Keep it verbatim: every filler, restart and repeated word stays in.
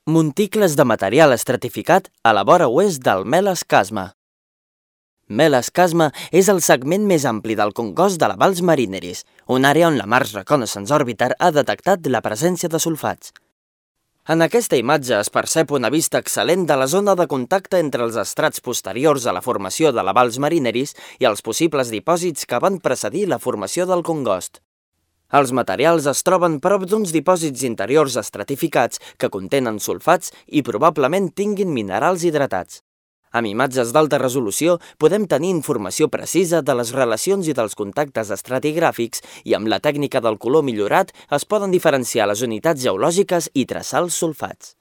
Monticles de material estratificat a la vora oest del Meles Chasma. Meles Chasma és el segment més ampli del congost de la Valls Marineris, una àrea on la Mars Reconnaissance Orbiter ha detectat la presència de sulfats. En aquesta imatge es percep una vista excel·lent de la zona de contacte entre els estrats posteriors a la formació de la Valls Marineris i els possibles dipòsits que van precedir la formació del congost. Els materials es troben prop d'uns dipòsits interiors estratificats que contenen sulfats i probablement tinguin minerals hidratats. Amb imatges d'alta resolució podem tenir informació precisa de les relacions i dels contactes estratigràfics i amb la tècnica del color millorat es poden diferenciar les unitats geològiques i traçar els sulfats.